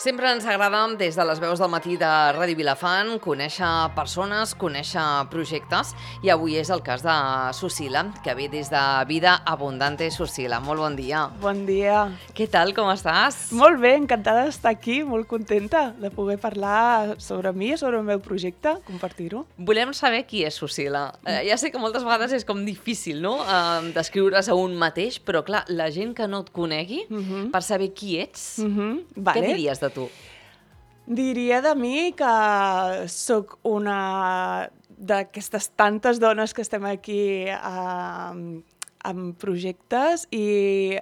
Sempre ens agrada, des de les veus del matí de Ràdio Vilafant, conèixer persones, conèixer projectes, i avui és el cas de Susila, que ve des de Vida Abundante. Susila, molt bon dia. Bon dia. Què tal, com estàs? Molt bé, encantada d'estar aquí, molt contenta de poder parlar sobre mi, sobre el meu projecte, compartir-ho. Volem saber qui és Susila. Ja sé que moltes vegades és com difícil, no?, descriure's a un mateix, però clar, la gent que no et conegui, per saber qui ets, què diries de tu? Diria de mi que sóc una d'aquestes tantes dones que estem aquí amb projectes i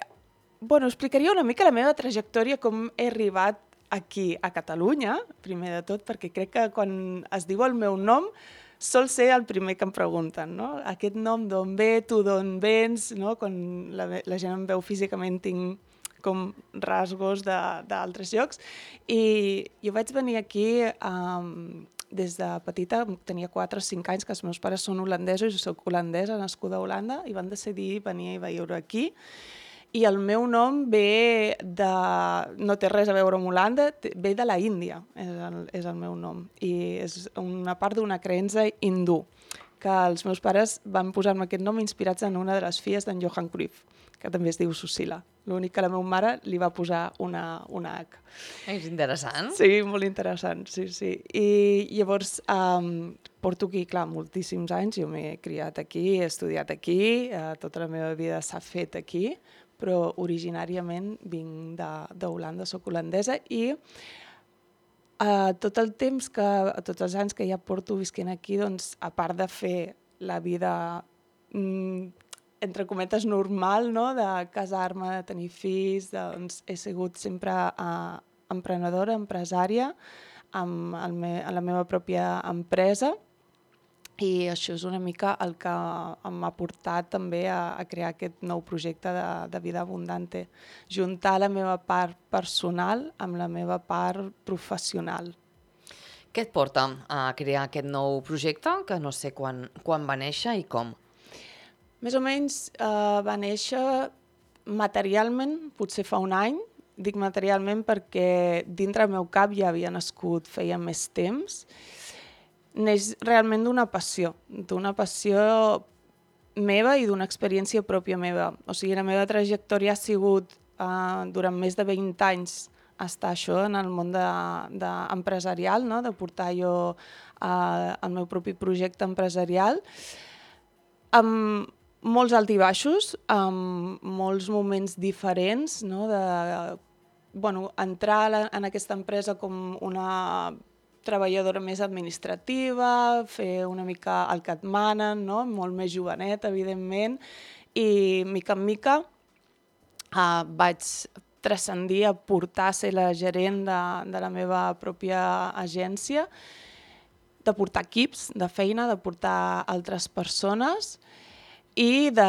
explicaria una mica la meva trajectòria, com he arribat aquí a Catalunya, primer de tot, perquè crec que quan es diu el meu nom sol ser el primer que em pregunten, no? Aquest nom d'on ve, tu d'on vens, no? Quan la gent em veu físicament tinc com rasgos d'altres llocs. I jo vaig venir aquí des de petita, tenia 4 o 5 anys, que els meus pares són holandesos, jo soc holandesa, nascuda a Holanda, i van decidir venir a viure aquí. I el meu nom ve de... no té res a veure amb Holanda, ve de la Índia, és el meu nom. I és una part d'una creença hindú, que els meus pares van posar-me aquest nom inspirats en una de les filles d'en Johan Cruyff, que també es diu Susila. L'únic que la meva mare li va posar una H. És interessant. Sí, molt interessant, sí. I llavors porto aquí, clar, moltíssims anys. Jo m'he criat aquí, he estudiat aquí, tota la meva vida s'ha fet aquí, però originàriament vinc d'Holanda, soc holandesa, i tot el temps tots els anys que ja porto visquent aquí, doncs, a part de fer la vida entre cometes normal, no?, de casar-me, de tenir fills, doncs he sigut sempre emprenedora, empresària, amb la meva pròpia empresa, i això és una mica el que m'ha portat també a crear aquest nou projecte de Vida Abundante, juntar la meva part personal amb la meva part professional. Què et porta a crear aquest nou projecte, que no sé quan va néixer i com? Més o menys va néixer materialment, potser fa un any. Dic materialment perquè dintre el meu cap ja havia nascut feia més temps. Neix realment d'una passió meva i d'una experiència pròpia meva. O sigui, la meva trajectòria ha sigut durant més de 20 anys estar això en el món empresarial, no?, de portar jo el meu propi projecte empresarial, amb molts alt i baixos, amb molts moments diferents, no?, entrar en aquesta empresa com una treballadora més administrativa, fer una mica el que et manen, no?, molt més jovenet, evidentment, i mica en mica vaig transcendir a portar a ser la gerent de la meva pròpia agència, de portar equips de feina, de portar altres persones i de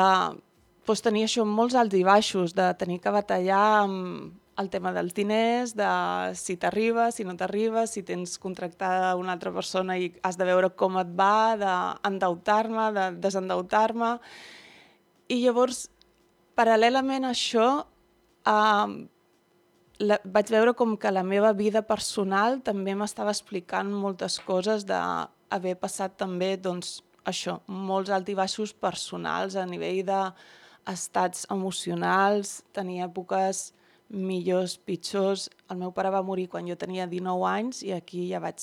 tenir això molts alts i baixos, de tenir que batallar amb el tema dels diners, de si t'arriba, si no t'arriba, si tens contractada una altra persona i has de veure com et va, d'endeutar-me, de desendeutar-me. I llavors, paral·lelament a això, vaig veure com que la meva vida personal també m'estava explicant moltes coses d'haver passat també, doncs, això, molts alts i baixos personals a nivell d'estats emocionals, tenir èpoques millors, pitjors. El meu pare va morir quan jo tenia 19 anys i aquí ja vaig...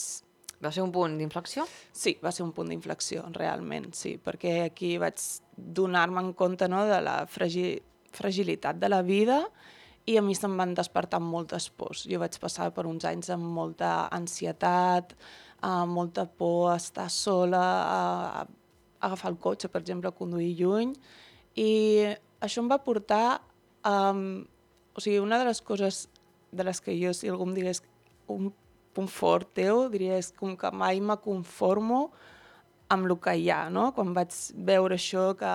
Va ser un punt d'inflexió? Sí, va ser un punt d'inflexió, realment, sí, perquè aquí vaig donar-me en compte, no?, de la fragilitat de la vida, i a mi se'm van despertar moltes pors. Jo vaig passar per uns anys amb molta ansietat, molta por a estar sola, a agafar el cotxe, per exemple, a conduir lluny, i això em va portar o sigui, una de les coses de les que jo, si algú em digués un punt fort teu, diria és com que mai me conformo amb el que hi ha, no? Quan vaig veure això, que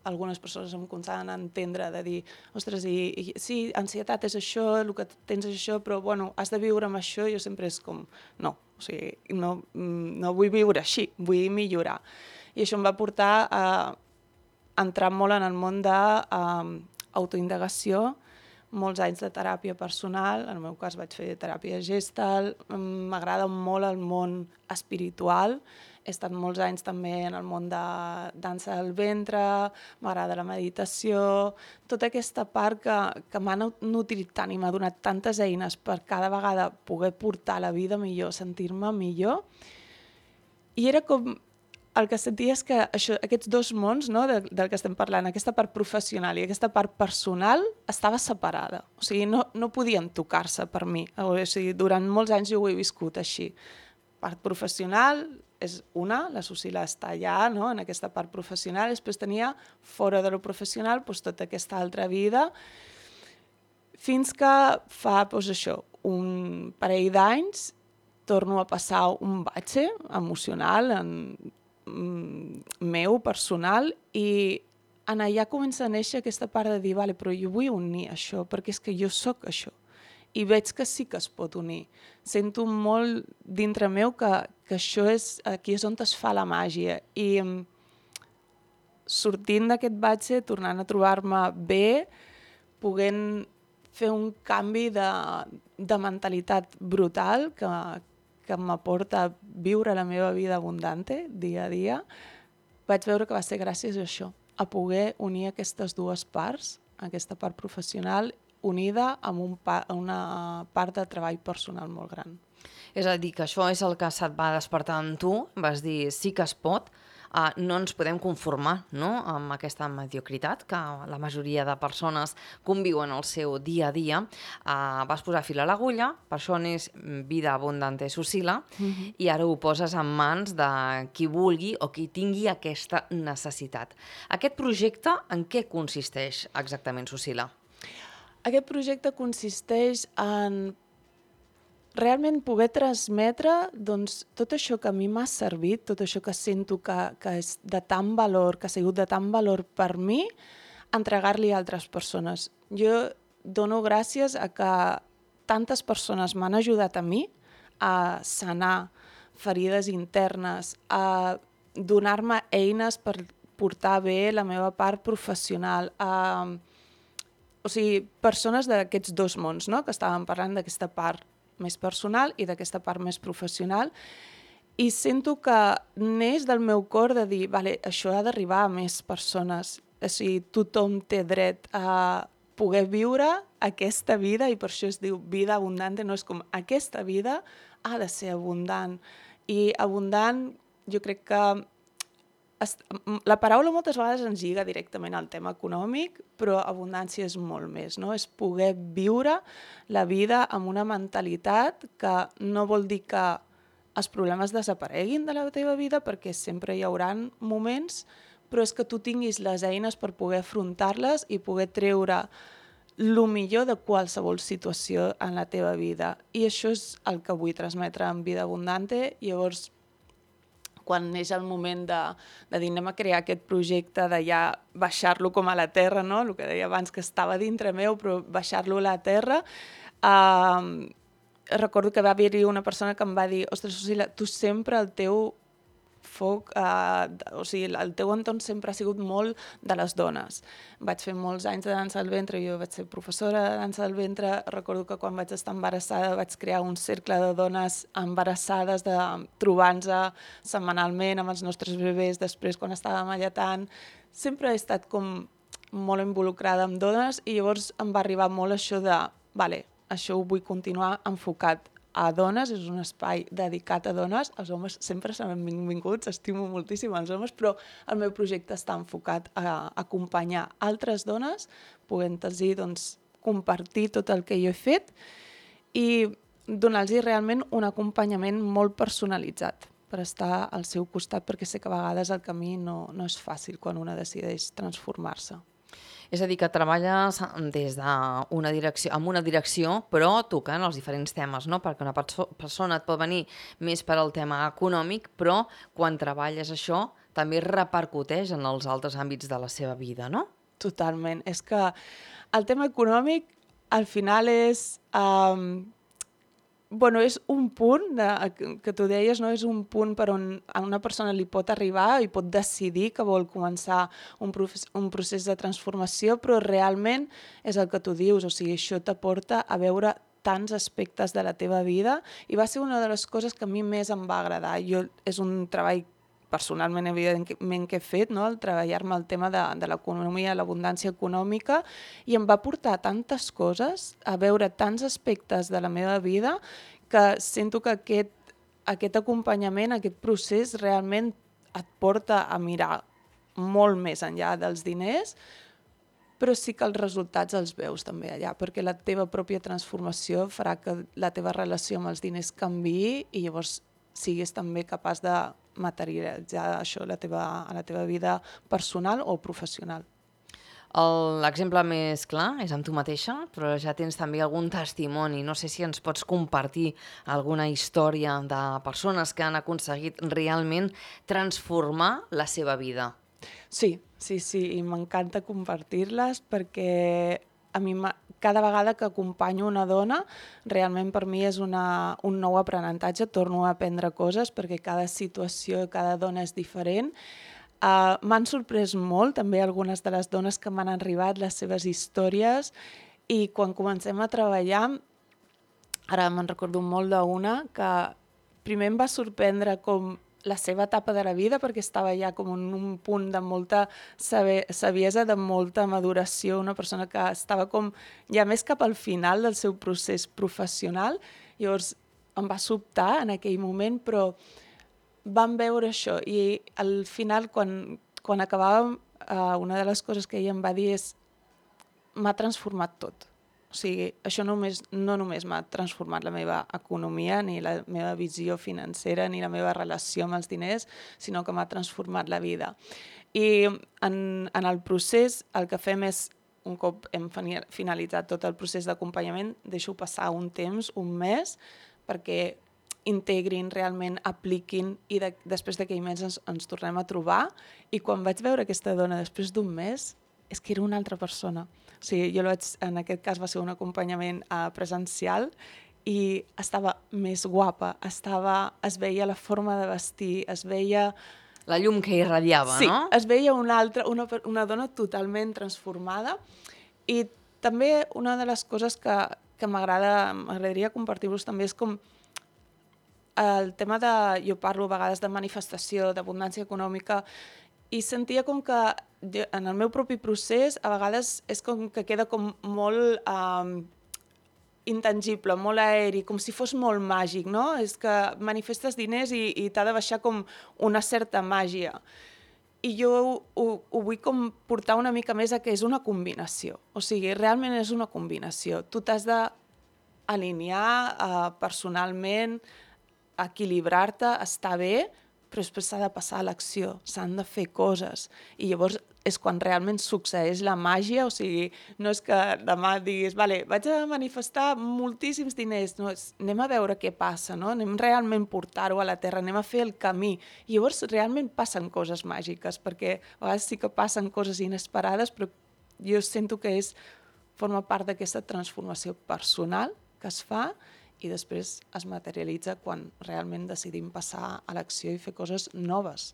algunes persones em començaven a entendre, de dir, ostres, sí, ansietat és això, el que tens és això, però bueno, has de viure amb això, jo sempre és com, no, o sigui, no vull viure així, vull millorar. I això em va portar a entrar molt en el món d'autoindagació, molts anys de teràpia personal, en el meu cas vaig fer teràpia Gestalt, m'agrada molt el món espiritual, he estat molts anys també en el món de dansa del ventre, m'agrada la meditació, tota aquesta part que m'ha nutrit tant i m'ha donat tantes eines per cada vegada poder portar la vida millor, sentir-me millor. I era com... El que sentia és que aquests dos mons, no, del que estem parlant, aquesta part professional i aquesta part personal, estava separada. O sigui, no podien tocar-se per mi. O sigui, durant molts anys jo ho he viscut així. Part professional és una, la Susila està allà, no, en aquesta part professional, després tenia fora de lo professional doncs, tota aquesta altra vida, fins que fa doncs, això, un parell d'anys torno a passar un batxe emocional meu, personal, i en allà comença a néixer aquesta part de dir, vale, però jo vull unir això, perquè és que jo sóc això. I veig que sí que es pot unir. Sento molt dintre meu que això aquí és on es fa la màgia. I sortint d'aquest batxe, tornant a trobar-me bé, podent fer un canvi de mentalitat brutal que m'aporta a viure la meva vida abundante dia a dia, vaig veure que va ser gràcies a això, a poder unir aquestes dues parts, aquesta part professional unida amb una part de treball personal molt gran. És a dir, que això és el que se't va despertar en tu, vas dir sí que es pot, no ens podem conformar, no?, amb aquesta mediocritat que la majoria de persones conviuen al seu dia a dia. Vas posar fil a l'agulla, per això n'és Vida Abundante Susila, i ara ho poses en mans de qui vulgui o qui tingui aquesta necessitat. Aquest projecte en què consisteix exactament, Susila? Aquest projecte consisteix en realment poder transmetre doncs, tot això que a mi m'ha servit, tot això que sento que és de tant valor, que ha sigut de tant valor per mi, entregar-li a altres persones. Jo dono gràcies a que tantes persones m'han ajudat a mi a sanar ferides internes, a donar-me eines per portar bé la meva part professional, o sigui, persones d'aquests dos mons, no?, que estàvem parlant d'aquesta part més personal i d'aquesta part més professional, i sento que neix del meu cor de dir, vale, això ha d'arribar a més persones, o sigui, tothom té dret a poder viure aquesta vida, i per això es diu vida abundante, no és com aquesta vida ha de ser abundant, i abundant jo crec que la paraula moltes vegades ens lliga directament al tema econòmic, però abundància és molt més, no? És poder viure la vida amb una mentalitat que no vol dir que els problemes desapareguin de la teva vida, perquè sempre hi haurà moments, però és que tu tinguis les eines per poder afrontar-les i poder treure el millor de qualsevol situació en la teva vida. I això és el que vull transmetre en Vida Abundante. Llavors, quan neix el moment de dir anem a crear aquest projecte, de ja baixar-lo com a la terra, no? El que deia abans, que estava dintre meu, però baixar-lo a la terra, recordo que va haver-hi una persona que em va dir, ostres, Susila, tu sempre el teu foc, o sigui, el teu entorn sempre ha sigut molt de les dones. Vaig fer molts anys de dansa del ventre, jo vaig ser professora de dansa del ventre, recordo que quan vaig estar embarassada vaig crear un cercle de dones embarassades, trobant-nos setmanalment amb els nostres bebès, després quan estàvem alletant, sempre he estat com molt involucrada amb dones, i llavors em va arribar molt això de, vale, això ho vull continuar enfocat a dones, és un espai dedicat a dones, els homes sempre s'han benvinguts, estimo moltíssim els homes, però el meu projecte està enfocat a acompanyar altres dones, podent-los doncs, compartir tot el que jo he fet i donar-los realment un acompanyament molt personalitzat per estar al seu costat, perquè sé que a vegades el camí no és fàcil quan una decideix transformar-se. És a dir, que treballes des d'una direcció, amb una direcció, però tocant els diferents temes, no? Perquè una persona et pot venir més per al tema econòmic, però quan treballes això també repercuteix en els altres àmbits de la seva vida, no? Totalment. És que el tema econòmic al final és bueno, és un punt que tu deies, no? És un punt per on a una persona li pot arribar i pot decidir que vol començar un procés de transformació, però realment és el que tu dius, o sigui, això t'aporta a veure tants aspectes de la teva vida i va ser una de les coses que a mi més em va agradar. És un treball personalment, evidentment, que he fet, no? El treballar-me el tema de l'economia, l'abundància econòmica, i em va portar tantes coses, a veure tants aspectes de la meva vida, que sento que aquest acompanyament, aquest procés, realment et porta a mirar molt més enllà dels diners, però sí que els resultats els veus també allà, perquè la teva pròpia transformació farà que la teva relació amb els diners canviï i llavors siguis també capaç de materialitzar això a la teva vida personal o professional. L'exemple més clar és amb tu mateixa, però ja tens també algun testimoni. No sé si ens pots compartir alguna història de persones que han aconseguit realment transformar la seva vida. Sí, i m'encanta compartir-les perquè a mi cada vegada que acompanyo una dona, realment per mi és un nou aprenentatge, torno a aprendre coses perquè cada situació, cada dona és diferent. M'han sorprès molt també algunes de les dones que m'han arribat, les seves històries, i quan comencem a treballar, ara me'n recordo molt d'una que primer em va sorprendre com la seva etapa de la vida, perquè estava ja com en un punt de molta saviesa, de molta maduració, una persona que estava com ja més cap al final del seu procés professional. Llavors em va sobtar en aquell moment, però vam veure això i al final, quan acabàvem, una de les coses que ella em va dir és: m'ha transformat tot. O sigui, això no només m'ha transformat la meva economia, ni la meva visió financera, ni la meva relació amb els diners, sinó que m'ha transformat la vida. I en el procés el que fem és, un cop hem finalitzat tot el procés d'acompanyament, deixo passar un temps, un mes, perquè integrin, realment apliquin, i després d'aquell mes ens tornem a trobar. I quan vaig veure aquesta dona després d'un mes, és que era una altra persona. O sigui, en aquest cas va ser un acompanyament presencial i estava més guapa, es veia la forma de vestir, es veia... La llum que irradiava, sí, no? Sí, es veia una dona totalment transformada. I també una de les coses que m'agradaria compartir-vos també és com el tema jo parlo a vegades de manifestació, d'abundància econòmica, i sentia com que en el meu propi procés a vegades és com que queda com molt intangible, molt aeri, com si fos molt màgic, no? És que manifestes diners i t'ha de baixar com una certa màgia. I jo ho vull com portar una mica més a que és una combinació. O sigui, realment és una combinació. Tu t'has d'alinear personalment, equilibrar-te, estar bé, però després s'ha de passar a l'acció, s'han de fer coses. I llavors és quan realment succeeix la màgia, o sigui, no és que demà diguis, vale, vaig a manifestar moltíssims diners, no, anem a veure què passa, no? Anem realment portar-ho a la terra, anem a fer el camí. I llavors realment passen coses màgiques, perquè a vegades sí que passen coses inesperades, però jo sento que forma part d'aquesta transformació personal que es fa i després es materialitza quan realment decidim passar a l'acció i fer coses noves.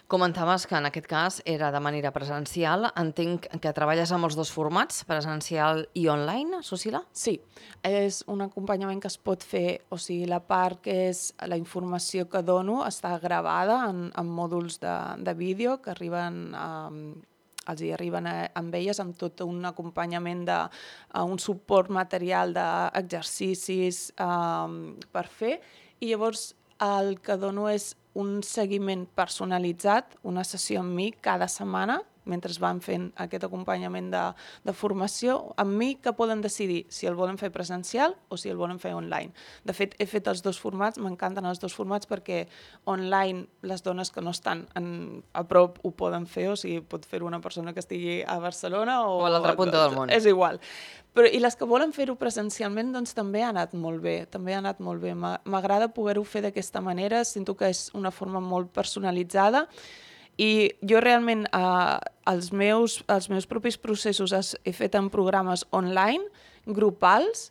Comentaves que en aquest cas era de manera presencial. Entenc que treballes amb els dos formats, presencial i online, Susila? Sí, és un acompanyament que es pot fer, o sigui, la part que és la informació que dono està gravada en mòduls de vídeo que els hi arriben amb elles amb tot un acompanyament un suport material d'exercicis per fer, i llavors el que dono és un seguiment personalitzat, una sessió amb mi cada setmana, mentre van fent aquest acompanyament de formació, amb mi que poden decidir si el volen fer presencial o si el volen fer online. De fet, he fet els dos formats, m'encanten els dos formats perquè online les dones que no estan a prop ho poden fer, o sigui, pot fer una persona que estigui a Barcelona o a l'altra punta del món. És igual. I les que volen fer-ho presencialment, doncs també ha anat molt bé, M'agrada poder-ho fer d'aquesta manera, sento que és una forma molt personalitzada. I jo realment els meus propis processos he fet en programes online, grupals,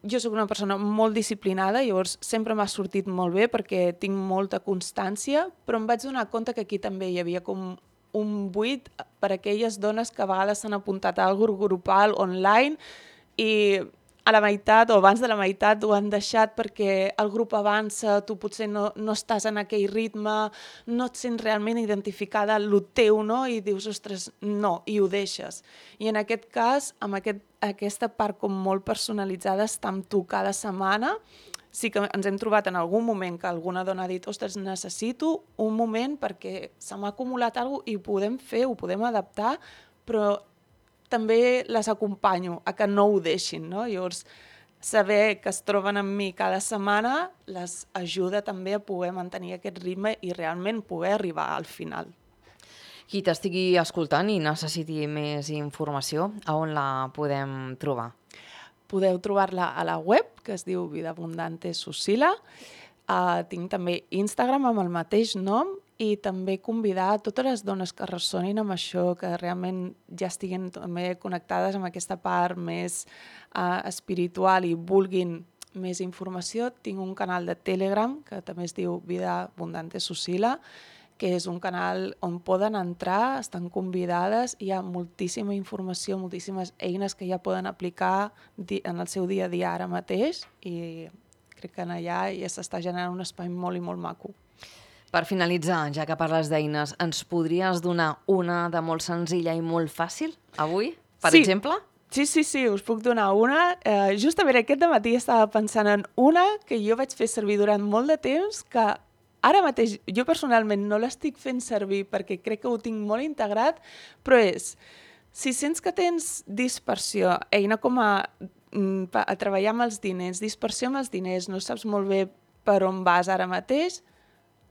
jo sóc una persona molt disciplinada, llavors sempre m'ha sortit molt bé perquè tinc molta constància, però em vaig donar compte que aquí també hi havia com un buit per a aquelles dones que a vegades s'han apuntat a algo grupal online i a la meitat o abans de la meitat ho han deixat perquè el grup avança, tu potser no estàs en aquell ritme, no et sents realment identificada amb el teu, no? I dius, ostres, no, i ho deixes. I en aquest cas, amb aquesta part com molt personalitzada, està amb tu cada setmana. Sí que ens hem trobat en algun moment que alguna dona ha dit, ostres, necessito un moment perquè se m'ha acumulat alguna cosa i ho podem fer, ho podem adaptar, però també les acompanyo a que no ho deixin, no? Llavors, saber que es troben amb mi cada setmana les ajuda també a poder mantenir aquest ritme i realment poder arribar al final. Qui t'estigui escoltant i necessiti més informació, a on la podem trobar? Podeu trobar-la a la web, que es diu Vida Abundante Susila. Tinc també Instagram amb el mateix nom i també convidar a totes les dones que ressonin amb això, que realment ja estiguin també connectades amb aquesta part més espiritual i vulguin més informació. Tinc un canal de Telegram que també es diu Vida Abundante Susila, que és un canal on poden entrar, estan convidades, hi ha moltíssima informació, moltíssimes eines que ja poden aplicar en el seu dia a dia ara mateix i crec que allà ja s'està generant un espai molt i molt maco. Per finalitzar, ja que parles d'eines, ens podries donar una de molt senzilla i molt fàcil avui, per exemple? Sí, us puc donar una. Justament aquest dematí estava pensant en una que jo vaig fer servir durant molt de temps, que ara mateix jo personalment no l'estic fent servir perquè crec que ho tinc molt integrat, però és, si sents que tens dispersió, eina com a treballar amb els diners, dispersió amb els diners, no saps molt bé per on vas ara mateix,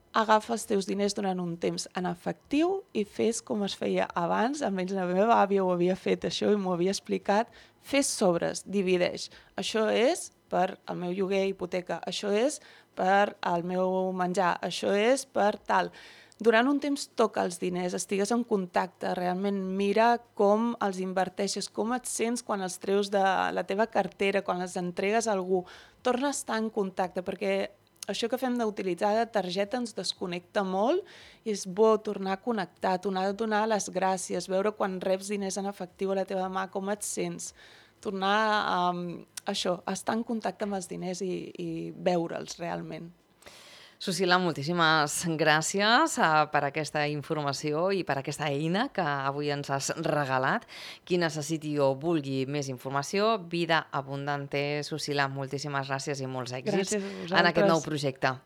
agafa els teus diners durant un temps en efectiu i fes com es feia abans, almenys la meva àvia ho havia fet això i m'ho havia explicat, fes sobres, divideix. Això és per al meu lloguer, hipoteca, això és per al meu menjar, això és per tal. Durant un temps toca els diners, estigues en contacte, realment mira com els inverteixes, com et sents quan els treus de la teva cartera, quan els entregues a algú. Torna a estar en contacte, perquè això que fem d'utilitzar de targeta ens desconnecta molt i és bo tornar a connectar, tornar a donar les gràcies, veure quan reps diners en efectiu a la teva mà, com et sents, tornar a estar en contacte amb els diners i veure'ls realment. Susila, moltíssimes gràcies per aquesta informació i per aquesta eina que avui ens has regalat. Qui necessiti o vulgui més informació, Vida Abundante Susila, moltíssimes gràcies i molts èxits en aquest nou projecte.